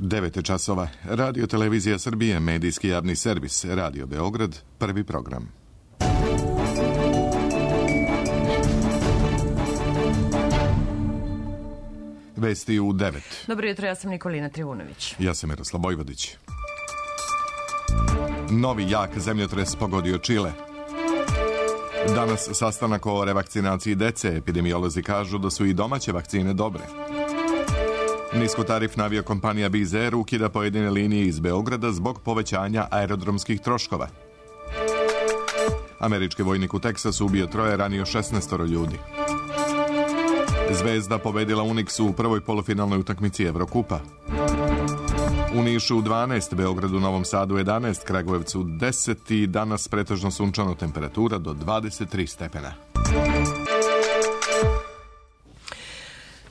9 časova. Radio Televizija Srbije, medijski javni servis, Radio Beograd, prvi program. Vesti u 9. Dobro jutro, ja sam Nikolina Trivunović. Ja sam Miroslav Bojvodić. Novi jak zemljotres pogodio Čile. Danas sastanak o revakcinaciji dece. Epidemiolozi kažu da su i domaće vakcine dobre. Niskotarifna aviokompanija Wizz Air ukida pojedine linije iz Beograda zbog povećanja aerodromskih troškova. Američki vojnik u Teksasu ubio 3, ranio 16 ljudi. Zvezda pobedila Uniksu u prvoj polufinalnoj utakmici Evrokupa. U Nišu 12, Beogradu, Novom Sadu 11, Kragujevcu 10 i danas pretežno sunčano, temperatura do 23 stepena.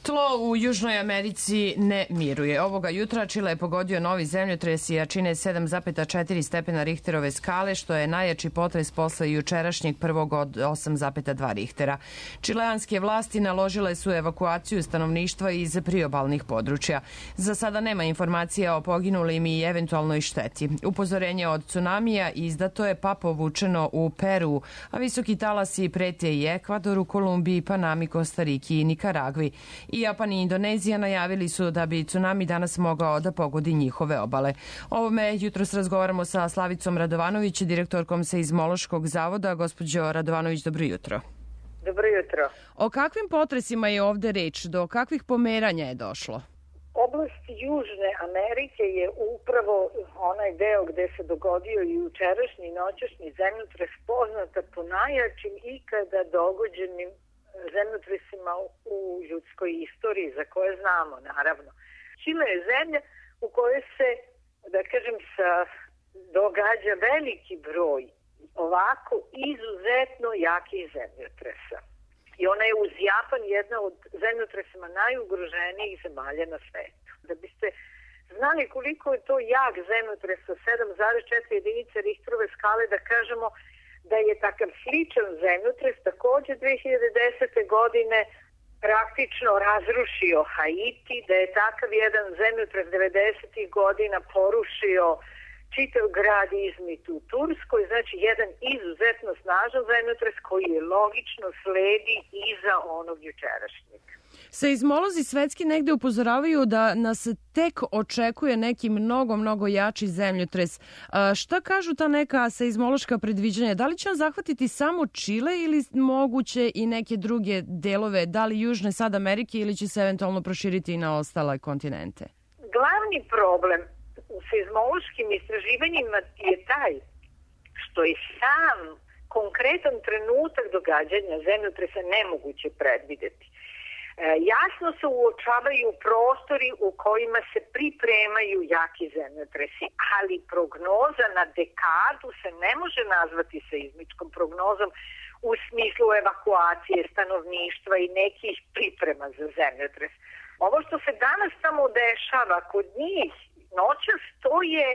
Tlo u Južnoj Americi ne miruje. Ovoga jutra Čile je pogodio novi zemljotres i jačine 7,4 stepena Richterove skale, što je najjači potres posle jučerašnjeg prvog od 8,2 Richtera. Čileanske vlasti naložile su evakuaciju stanovništva iz priobalnih područja. Za sada nema informacija o poginulim i eventualnoj šteti. Upozorenje od tsunamija izdato je pa povučeno u Peru, a visoki talasi prete i Ekvadoru, Kolumbiji, Panami, Kostariki i Nikaragvi. I Japan i Indonezija najavili su da bi tsunami danas mogao da pogodi njihove obale. O ovome jutros razgovaramo sa Slavicom Radovanović, direktorkom Seizmološkog zavoda. Gospođo Radovanović, dobro jutro. Dobro jutro. O kakvim potresima je ovde reč? Do kakvih pomeranja je došlo? Oblast Južne Amerike je upravo onaj deo gde se dogodio i jučerašnji i noćašnji zemljotres, poznata po najjačim ikada dogođenim zemljotresima u ljudskoj istoriji, za koje znamo, naravno. Čile je zemlja u kojoj se, da kažem, događa veliki broj ovako izuzetno jakih zemljotresa. I ona je uz Japan jedna od zemljotresima najugroženijih zemalja na svetu. Da biste znali koliko je to jak zemljotres sa 7,4 jedinice Richterove skale, da kažemo da je takav sličan zemljotres takođe 2010. godine praktično razrušio Haiti, da je takav jedan zemljotres 90. godina porušio čitav grad Izmit u Turskoj, znači jedan izuzetno snažan zemljotres koji je logično sledi iza onog jučerašnjeg. Seizmolozi svetski negde upozoravaju da nas tek očekuje neki mnogo jači zemljotres. Šta kažu ta neka seizmološka predviđanja? Da li će on zahvatiti samo Čile ili moguće i neke druge delove, da li Južne sad Amerike, ili će se eventualno proširiti i na ostale kontinente? Glavni problem u seizmološkim istraživanjima je taj što je sam konkretan trenutak događanja zemljotresa nemoguće predvideti. Jasno se uočavaju prostori u kojima se pripremaju jaki zemljotresi, ali prognoza na dekadu se ne može nazvati seizmičkom prognozom u smislu evakuacije stanovništva i nekih priprema za zemljotres. Ovo što se danas tamo dešava kod njih noćas, to je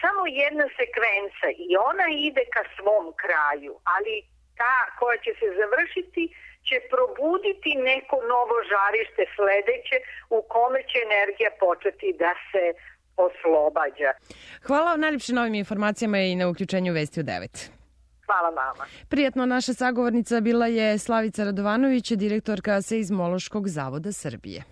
samo jedna sekvenca i ona ide ka svom kraju, ali ta koja će se završiti će probuditi neko novo žarište sledeće u kome će energija početi da se oslobađa. Hvala vam najljepše na ovim informacijama i na uključenju Vesti u 9. Hvala vama. Prijatno, naša sagovornica bila je Slavica Radovanović, direktorka Seizmološkog zavoda Srbije.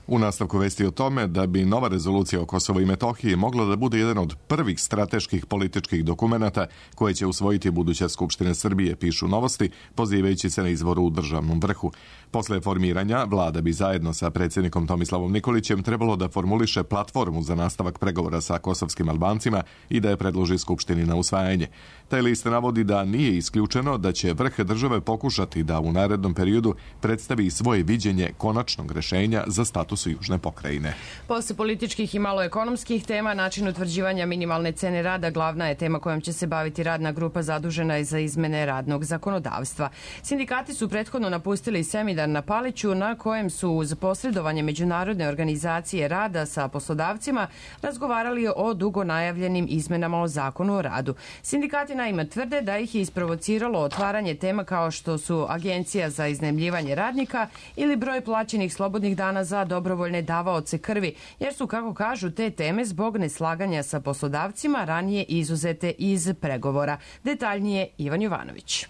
U nastavku vesti o tome da bi nova rezolucija o Kosovu i Metohiji mogla da bude jedan od prvih strateških političkih dokumenata koje će usvojiti buduća Skupština Srbije, pišu Novosti, pozivajući se na izvoru u državnom vrhu. Posle formiranja, vlada bi zajedno sa predsjednikom Tomislavom Nikolićem trebalo da formuliše platformu za nastavak pregovora sa kosovskim Albancima i da je predloži Skupštini na usvajanje. Taj list navodi da nije isključeno da će vrh države pokušati da u narednom periodu predstavi svoje viđenje konačnog rešenja za status Južne pokrajine. Posle političkih i malo ekonomskih tema, način utvrđivanja minimalne cene rada glavna je tema kojom će se baviti radna grupa zadužena za izmene radnog zakonodavstva. Sindikati su prethodno napustili seminar na Paliću na kojem su uz posredovanje Međunarodne organizacije rada sa poslodavcima razgovarali o dugo najavljenim izmenama o zakonu o radu. Sindikati naime tvrde da ih je isprovociralo otvaranje tema kao što su Agencija za iznajmljivanje radnika ili broj plaćenih slobodnih dana za dobro dobrovoljne davaoce krvi, jer su, kako kažu, te teme zbog neslaganja sa poslodavcima ranije izuzete iz pregovora. Detaljnije Ivan Jovanović.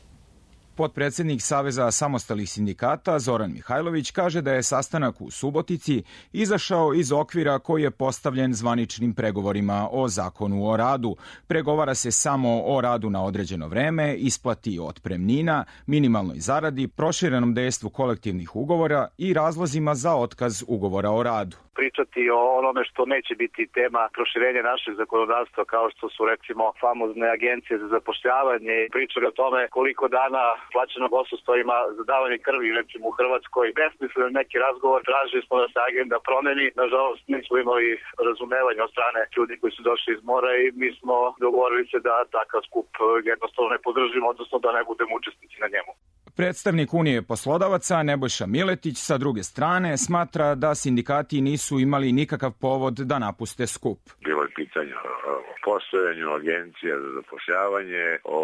Potpredsednik Saveza samostalnih sindikata Zoran Mihajlović kaže da je sastanak u Subotici izašao iz okvira koji je postavljen zvaničnim pregovorima o zakonu o radu. Pregovara se samo o radu na određeno vreme, isplati otpremnina, minimalnoj zaradi, proširenom dejstvu kolektivnih ugovora i razlozima za otkaz ugovora o radu. Pričati o onome što neće biti tema proširenja našeg zakonodavstva, kao što su recimo famozne agencije za zapošljavanje, pričali o tome koliko dana plaćenog odsustva ima za davanje krvi recimo u Hrvatskoj. Besmislen neki razgovor, tražili smo da se agenda promeni, nažalost nismo imali razumevanja od strane ljudi koji su došli iz mora i mi smo dogovorili se da takav skup jednostavno ne podržimo, odnosno da ne budemo učesnici na njemu. Predstavnik Unije poslodavaca Nebojša Miletić sa druge strane smatra da sindikati nisu imali nikakav povod da napuste skup. Bilo je pitanje o postojanju agencija za zapošljavanje, o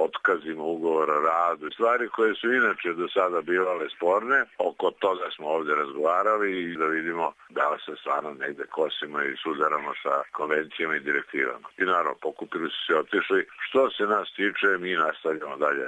otkazima ugovora o radu, stvari koje su inače do sada bivale sporne. Oko toga smo ovde razgovarali i da vidimo da li se stvarno negde kosimo i sudaramo sa konvencijama i direktivama. I naravno, pokupili su se otišli. Što se nas tiče, mi nastavljamo dalje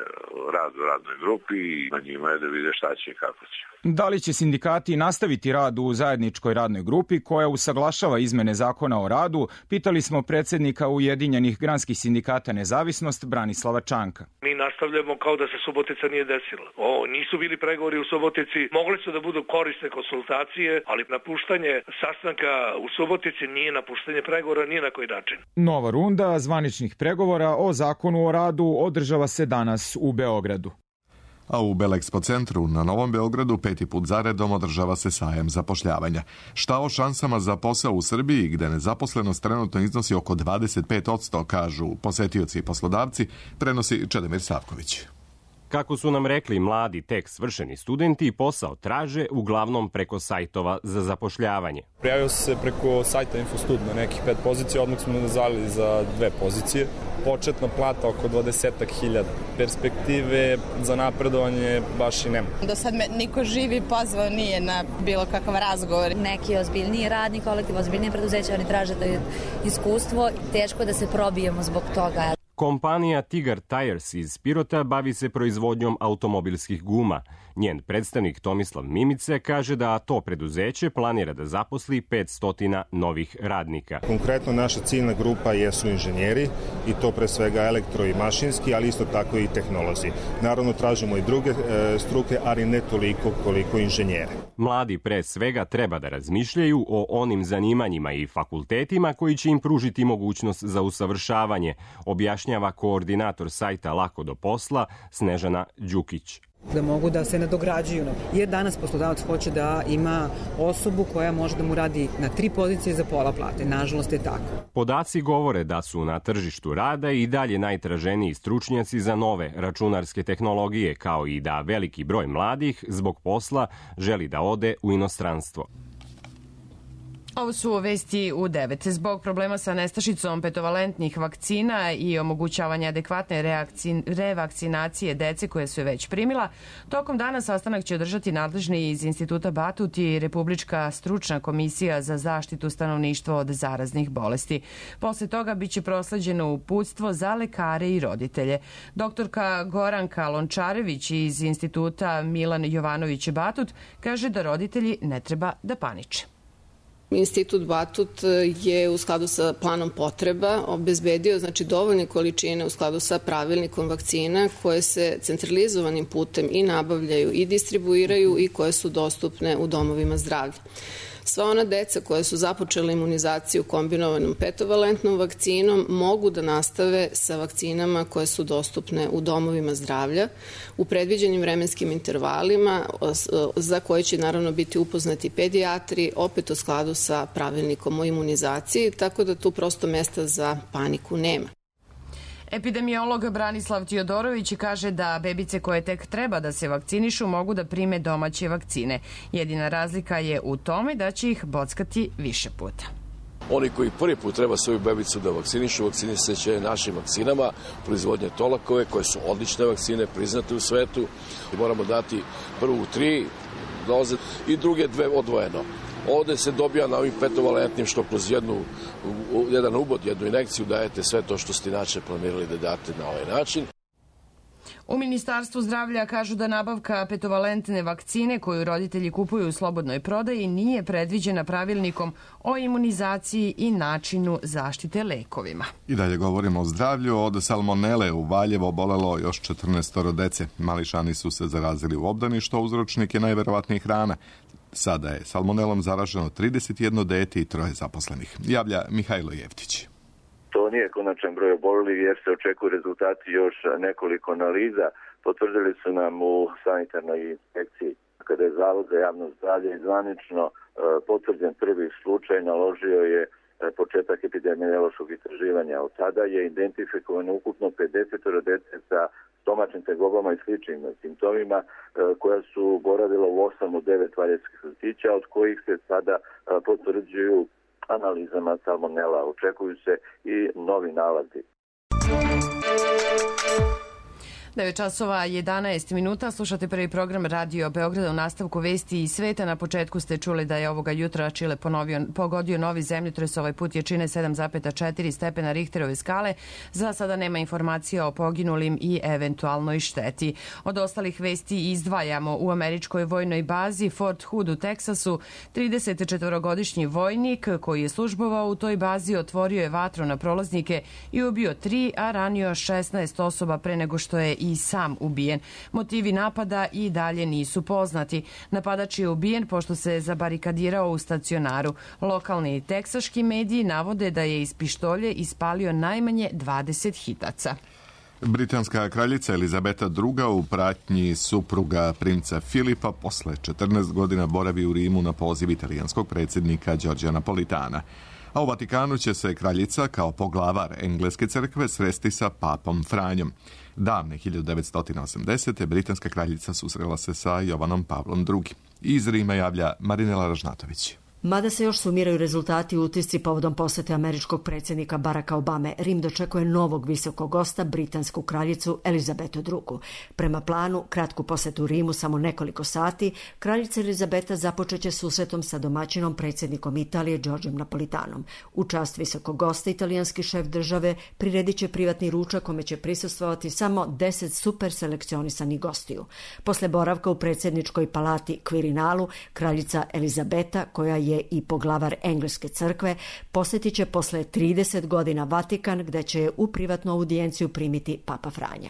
rad u radnoj grupi i na njima je da vide šta će i kako će. Da li će sindikati nastaviti rad u zajedničkoj radnoj grupi koja usaglašava izmene zakona o radu, pitali smo predsednika Ujedinjenih granskih sindikata Nezavisnost Branislava Čanka. Mi nastavljamo kao da se Subotica nije desila. Nisu bili pregovori u Subotici, mogli su da budu korisne konsultacije, ali napuštanje sastanka u Subotici nije napuštanje pregovora ni na koji način. Nova runda zvaničnih pregovora o zakonu o radu održava se danas u Beogradu. A u Belexpo centru na Novom Beogradu 5. put zaredom održava se sajam zapošljavanja. Šta o šansama za posao u Srbiji, gde nezaposlenost trenutno iznosi oko 25%, kažu posetioci i poslodavci, prenosi Čedomir Savković. Kako su nam rekli mladi tek svršeni studenti, posao traže uglavnom preko sajtova za zapošljavanje. Prijavio se preko sajta Infostud na nekih 5 pozicija, odmah smo nazvali za 2 pozicije. Početna plata oko 20.000. Perspektive za napredovanje baš i nema. Do sad me niko živi pozvao nije na bilo kakav razgovor. Neki ozbiljniji radni kolektiv, ozbiljnije preduzeće, oni traže da je iskustvo. Teško da se probijemo zbog toga. Kompanija Tigar Tires iz Pirota bavi se proizvodnjom automobilskih guma. Njen predstavnik Tomislav Mimice kaže da to preduzeće planira da zaposli 500 novih radnika. Konkretno naša ciljna grupa jesu inženjeri i to pre svega elektro i mašinski, ali isto tako i tehnolozi. Naravno tražimo i druge struke, ali ne toliko koliko inženjere. Mladi pre svega treba da razmišljaju o onim zanimanjima i fakultetima koji će im pružiti mogućnost za usavršavanje, objašnjava koordinator sajta Lako do posla Snežana Đukić. Da mogu da se nadograđuju. Jer danas poslodavac hoće da ima osobu koja može da mu radi na 3 pozicije za pola plate. Nažalost je tako. Podaci govore da su na tržištu rada i dalje najtraženiji stručnjaci za nove računarske tehnologije, kao i da veliki broj mladih zbog posla želi da ode u inostranstvo. Ovo su vesti u 9. Zbog problema sa nestašicom petovalentnih vakcina i omogućavanja adekvatne revakcinacije dece koje su je već primila, tokom dana sastanak će održati nadležni iz Instituta Batut i Republička stručna komisija za zaštitu stanovništva od zaraznih bolesti. Posle toga biće prosleđeno uputstvo za lekare i roditelje. Doktorka Goranka Lončarević iz Instituta Milan Jovanović Batut kaže da roditelji ne treba da paniče. Institut Batut je u skladu sa planom potreba obezbedio dovoljne količine u skladu sa pravilnikom vakcina koje se centralizovanim putem i nabavljaju i distribuiraju i koje su dostupne u domovima zdravlja. Sva ona deca koja su započela imunizaciju kombinovanom petovalentnom vakcinom mogu da nastave sa vakcinama koje su dostupne u domovima zdravlja u predviđenim vremenskim intervalima za koje će naravno biti upoznati pedijatri, opet u skladu sa pravilnikom o imunizaciji, tako da tu prosto mesta za paniku nema. Epidemiolog Branislav Tijodorović kaže da bebice koje tek treba da se vakcinišu mogu da prime domaće vakcine. Jedina razlika je u tome da će ih bockati više puta. Oni koji prvi put treba svoju bebicu da vakcinišu, vakcinisat će našim vakcinama, proizvodnje Tolakove, koje su odlične vakcine, priznate u svetu. Moramo dati prvu 3 doze i druge 2 odvojeno. Ovde se dobija na ovim petovalentnim što kroz jedan ubod, jednu injekciju dajete sve to što ste inače planirali da date na ovaj način. U Ministarstvu zdravlja kažu da nabavka petovalentne vakcine koju roditelji kupuju u slobodnoj prodaji nije predviđena pravilnikom o imunizaciji i načinu zaštite lekovima. I dalje govorimo o zdravlju. Od salmonele u Valjevo obolelo još 14 dece. Mališani su se zarazili u obdaništu, a uzročnik je najverovatniji hrana. Sada je salmonelom zaraženo 31 dete i 3 zaposlenih. Javlja Mihajlo Jevtić. To nije konačan broj obolelih jer se očekuju rezultati još nekoliko analiza. Potvrdili su nam u sanitarnoj inspekciji kada je Zavod za javno zdravlje zvanično potvrđen prvi slučaj, naložio je početak epidemiološkog istraživanja. Od tada je identifikovano ukupno 50 dece sa stomačnim tegobama i sličnim simptomima koja su boravila u 8 od 9 valjevskih vrtića, od kojih se sada potvrđuju analizama salmonela. Očekuju se i novi nalazi. 9 časova 11 minuta. Slušate prvi program Radio Beograda. U nastavku vesti i sveta. Na početku ste čuli da je ovoga jutra Čile pogodio novi zemljotres. Ovaj put jačine 7,4 stepena Richterove skale. Za sada nema informacija o poginulim i eventualnoj šteti. Od ostalih vesti izdvajamo u američkoj vojnoj bazi Fort Hood u Teksasu. 34-godišnji vojnik koji je službovao u toj bazi otvorio je vatru na prolaznike i ubio 3, a ranio 16 osoba pre nego što je i sam ubijen. Motivi napada i dalje nisu poznati. Napadač je ubijen pošto se zabarikadirao u stacionaru. Lokalni teksaški mediji navode da je iz pištolje ispalio najmanje 20 hitaca. Britanska kraljica Elizabeta II u pratnji supruga princa Filipa posle 14 godina boravi u Rimu na poziv italijanskog predsjednika Giorgia Napolitana. A u Vatikanu će se kraljica kao poglavar engleske crkve sresti sa papom Franjom. Davne 1980. britanska kraljica susrela se sa Jovanom Pavlom II. Iz Rima javlja Marinela Ražnatović. Mada se još sumiraju rezultati utisci povodom posete američkog predsjednika Baracka Obame, Rim dočekuje novog visokog gosta, britansku kraljicu Elizabetu II. Prema planu, kratku posetu Rimu samo nekoliko sati, kraljica Elizabeta započeće susretom sa domaćinom predsjednikom Italije Giorgiom Napolitanom. U čast visokog gosta italijanski šef države priredit će privatni ručak kome će prisustvovati samo 10 super selekcionisanih gostiju. Posle boravka u predsjedničkoj palati Quirinalu, kraljica Elizabeta, koja je i poglavar engleske crkve, posjetit će posle 30 godina Vatikan, gde će je u privatnu audijenciju primiti Papa Franja.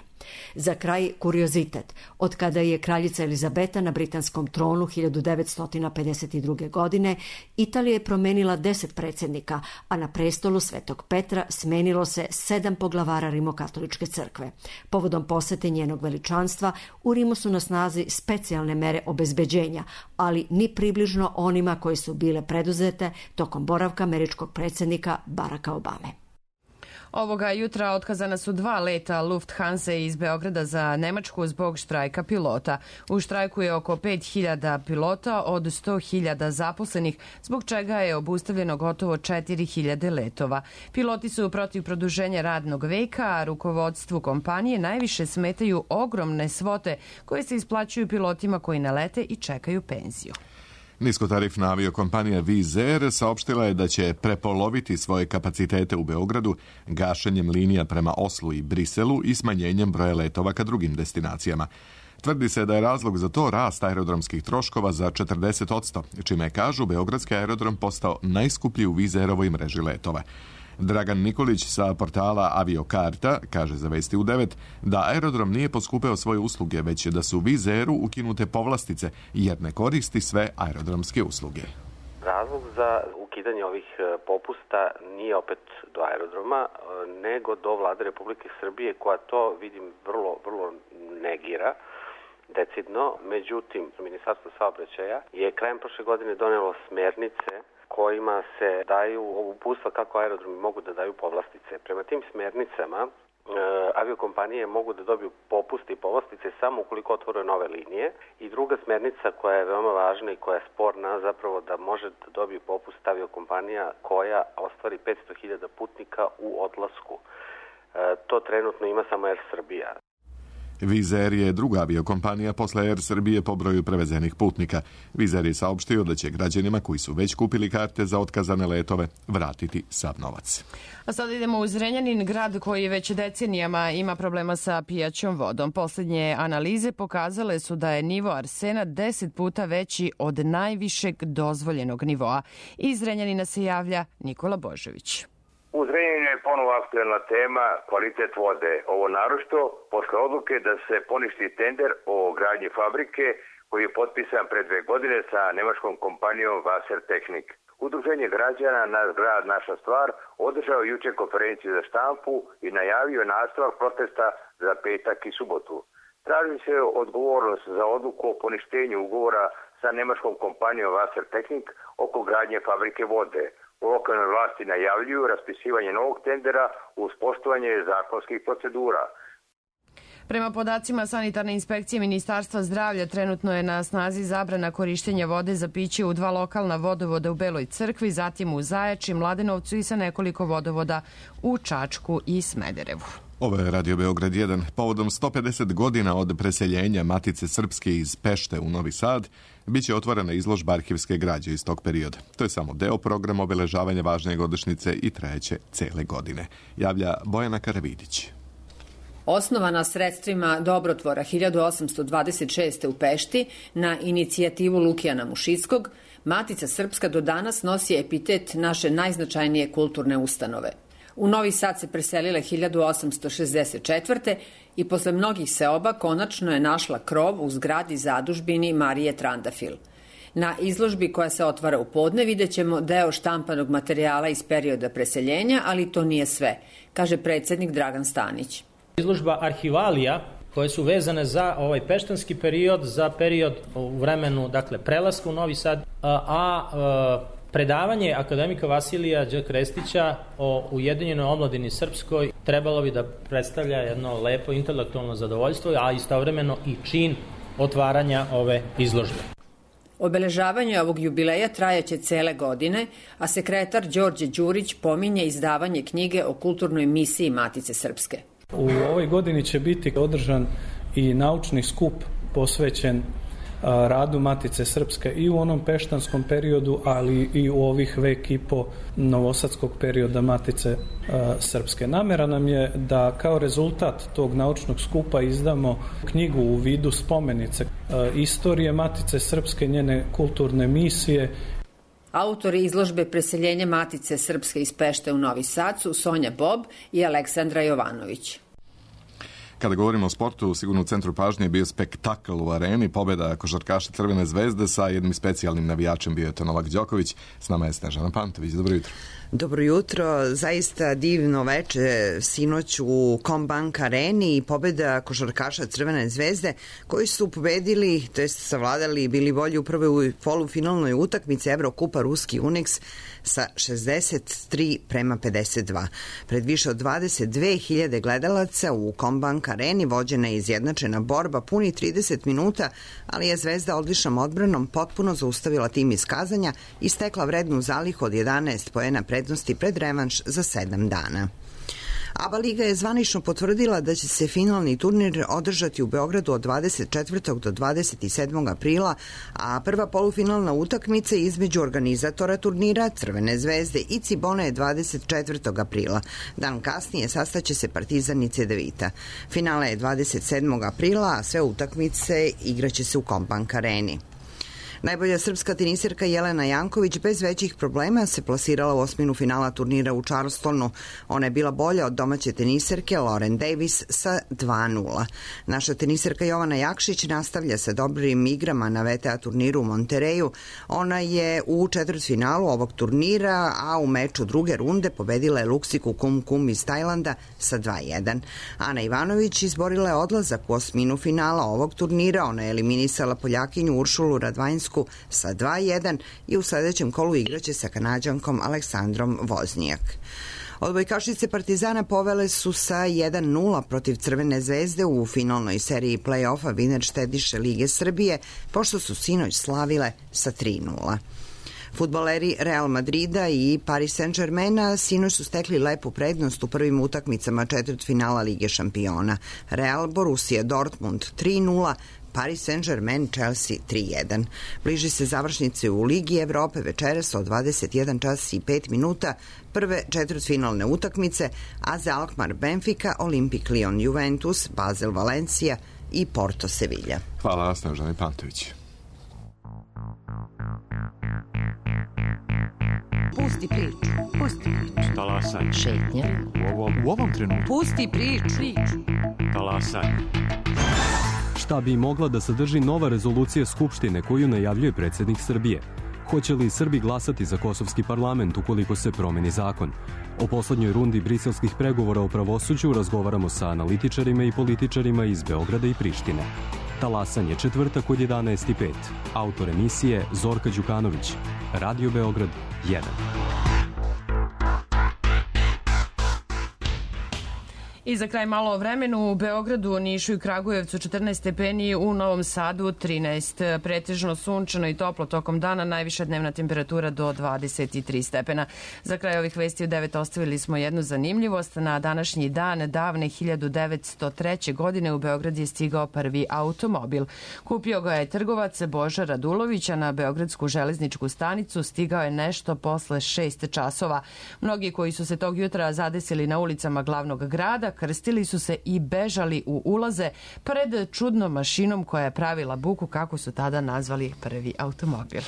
Za kraj kuriozitet. Od kada je kraljica Elizabeta na britanskom tronu 1952. godine, Italija je promenila 10 predsjednika, a na prestolu Svetog Petra smenilo se 7 poglavara Rimokatoličke crkve. Povodom posete njenog veličanstva, u Rimu su na snazi specijalne mere obezbeđenja, ali ni približno onima koji su bile preduzete tokom boravka američkog predsjednika Baracka Obame. Ovoga jutra otkazana su 2 leta Lufthansa iz Beograda za Nemačku zbog štrajka pilota. U štrajku je oko 5.000 pilota od 100.000 zaposlenih, zbog čega je obustavljeno gotovo 4.000 letova. Piloti su protiv produženja radnog veka, a rukovodstvu kompanije najviše smetaju ogromne svote koje se isplaćuju pilotima koji ne lete i čekaju penziju. Niskotarifna aviokompanija Wizz Air saopštila je da će prepoloviti svoje kapacitete u Beogradu gašenjem linija prema Oslu i Briselu i smanjenjem broja letova ka drugim destinacijama. Tvrdi se da je razlog za to rast aerodromskih troškova za 40%, čime je, kažu, beogradski aerodrom postao najskuplji u Wizz Airovoj mreži letova. Dragan Nikolić sa portala Aviokarta kaže za Vesti u 9 da aerodrom nije poskupeo svoje usluge, već da su Wizz Airu ukinute povlastice jer ne koristi sve aerodromske usluge. Razlog za ukidanje ovih popusta nije opet do aerodroma, nego do Vlade Republike Srbije, koja to, vidim, vrlo negira decidno. Međutim, Ministarstvo saobraćaja je krajem prošle godine donelo smernice kojima se daju uputstva kako aerodromi mogu da daju povlastice. Prema tim smernicama aviokompanije mogu da dobiju popuste i povlastice samo ukoliko otvore nove linije. I druga smernica koja je veoma važna i koja je sporna, zapravo da može da dobije popust aviokompanija koja ostvari 500.000 putnika u odlasku. To trenutno ima samo Air Srbija. Wizz Air je druga aviokompanija posle Air Srbije po broju prevezenih putnika. Wizz Air je saopštio da će građanima koji su već kupili karte za otkazane letove vratiti sav novac. A sada idemo u Zrenjanin, grad koji već decenijama ima problema sa pijaćom vodom. Posljednje analize pokazale su da je nivo arsena 10 puta veći od najvišeg dozvoljenog nivoa. Iz Zrenjanina se javlja Nikola Božović. U Zrenjaninu je ponovo aktuelna tema kvalitet vode. Ovo naročito posle odluke da se poništi tender o gradnji fabrike koji je potpisan pre 2 godine sa nemačkom kompanijom Wassertechnik. Udruženje građana Naš grad, naša stvar održao juče konferenciju za štampu i najavio nastavak protesta za petak i subotu. Traži se odgovornost za odluku o poništenju ugovora sa nemačkom kompanijom Wassertechnik oko gradnje fabrike vode. U lokalnoj vlasti najavljuju raspisivanje novog tendera uz poštovanje zakonskih procedura. Prema podacima sanitarne inspekcije Ministarstva zdravlja, trenutno je na snazi zabrana korištenja vode za piće u 2 lokalna vodovoda u Beloj Crkvi, zatim u Zajači, Mladenovcu i sa nekoliko vodovoda u Čačku i Smederevu. Ovo je Radio Beograd 1. Povodom 150 godina od preseljenja Matice Srpske iz Pešte u Novi Sad, biće otvorena izložba arhivske građe iz tog perioda. To je samo deo programa obeležavanja važne godišnjice i trajeće cele godine. Javlja Bojana Karavidić. Osnovana sredstvima Dobrotvora 1826. u Pešti na inicijativu Lukijana Mušickog, Matica Srpska do danas nosi epitet naše najznačajnije kulturne ustanove. U Novi Sad se preselile 1864. i posle mnogih seoba konačno je našla krov u zgradi zadužbini Marije Trandafil. Na izložbi koja se otvara u podne vidjet ćemo deo štampanog materijala iz perioda preseljenja, ali to nije sve, kaže predsjednik Dragan Stanić. Izložba arhivalija koje su vezane za ovaj peštanski period, za period u vremenu, dakle, prelaska u Novi Sad, predavanje akademika Vasilija Đ. Krestića o Ujedinjenoj omladini srpskoj trebalo bi da predstavlja jedno lepo intelektualno zadovoljstvo, a istovremeno i čin otvaranja ove izložbe. Obeležavanje ovog jubileja trajaće cele godine, a sekretar Đorđe Đurić pominje izdavanje knjige o kulturnoj misiji Matice Srpske. U ovoj godini će biti održan i naučni skup posvećen radu Matice Srpske i u onom peštanskom periodu, ali i u ovih vek i po novosadskog perioda Matice Srpske. Namera nam je da kao rezultat tog naučnog skupa izdamo knjigu u vidu spomenice istorije Matice Srpske, njene kulturne misije. Autori izložbe Preseljenje Matice Srpske iz Pešte u Novi Sad su Sonja Bob i Aleksandra Jovanović. Kada govorimo o sportu, sigurno u centru pažnje je bio spektakl u areni, pobjeda košarkaša Crvene zvezde sa jednim specijalnim navijačem, bio je to Novak Đoković. S nama je Snežana Pantović. Dobro jutro. Dobro jutro, zaista divno veče sinoć u Combank areni i pobjeda košarkaša Crvene zvezde koji su pobedili, to jest savladali i bili bolji u prvoj polufinalnoj utakmici Evrokupa Ruski Unix sa 63:52. Pred više od 22.000 gledalaca u Combank areni vođena je izjednačena borba puni 30 minuta, ali je Zvezda odličnom odbranom potpuno zaustavila tim iz Kazanja i stekla vrednu zalihu od 11 poena prednosti pred revanš za 7 dana. ABA Liga je zvanično potvrdila da će se finalni turnir održati u Beogradu od 24. do 27. aprila, a prva polufinalna utakmica između organizatora turnira Crvene zvezde i Cibone je 24. aprila. Dan kasnije sastaće se Partizan i Cedevita. Finale je 27. aprila, a sve utakmice igraće se u Combank areni. Najbolja srpska tenisirka Jelena Janković bez većih problema se plasirala u osminu finala turnira u Charlestonu. Ona je bila bolja od domaće tenisirke Lauren Davis sa 2:0. Naša tenisirka Jovana Jakšić nastavlja sa dobrim igrama na VTA turniru u Montereju. Ona je u četvrtfinalu ovog turnira, a u meču druge runde pobedila je Luksiku Kum iz Tajlanda sa 2:1. Ana Ivanović izborila je odlazak u osminu finala ovog turnira. Ona je eliminisala Poljakinju Uršulu Radvanjsku sa 2:1 i u sledećem kolu igraće sa Kanađankom Aleksandrom Voznijak. Odbojkašice Partizana povele su sa 1:0 protiv Crvene zvezde u finalnoj seriji play-offa Viner štediše Lige Srbije, pošto su sinoć slavile sa 3:0. Fudbaleri Real Madrida i Paris Saint-Germaina sinoć su stekli lepu prednost u prvim utakmicama četvrtfinala Lige šampiona. Real Borussia Dortmund 3:0, Paris Saint-Germain Chelsea 3:1. Bliži se završnice u Ligi Evrope večeras od 21 čas i 5 minuta, prve četvrtfinalne utakmice, AZ Alkmaar Benfica, Olimpik Lyon Juventus, Basel Valencija i Porto Sevilla. Hvala, Snežani Pantović. Pusti priču. Talasaj. Šetnja. U ovom trenutku. Pusti priču. Talasaj. Šta bi mogla da sadrži nova rezolucija Skupštine koju najavljuje predsjednik Srbije? Hoće li Srbi glasati za kosovski parlament ukoliko se promeni zakon? O poslednjoj rundi briselskih pregovora o pravosuđu razgovaramo sa analitičarima i političarima iz Beograda i Prištine. Talasanje, četvrtak od 11:05. Autor emisije Zorka Đukanović. Radio Beograd 1. I za kraj malo o vremenu. U Beogradu, Nišu i Kragujevcu 14 stepeni, u Novom Sadu 13. Pretežno sunčano i toplo tokom dana, najviša dnevna temperatura do 23 stepena. Za kraj ovih vesti u 9 ostavili smo jednu zanimljivost. Na današnji dan davne 1903. godine u Beograd je stigao prvi automobil. Kupio ga je trgovac Boža Radulović, a na Beogradsku železničku stanicu stigao je nešto posle 6 časova. Mnogi koji su se tog jutra zadesili na ulicama glavnog grada krstili su se i bežali u ulaze pred čudnom mašinom koja je pravila buku, kako su tada nazvali prvi automobil.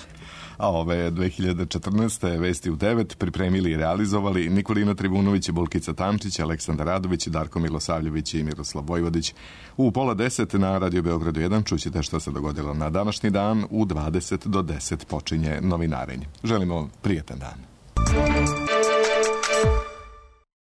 A ove 2014. vesti u 9 pripremili i realizovali Nikolina Trivunović, Bulkica Tamčić, Aleksandar Radović, Darko Milosavljević i Miroslav Vojvodić. U 9:30 na Radio Beogradu 1 čućete što se dogodilo na današnji dan. U 20 do 10 počinje novinarenje. Želimo prijatan dan.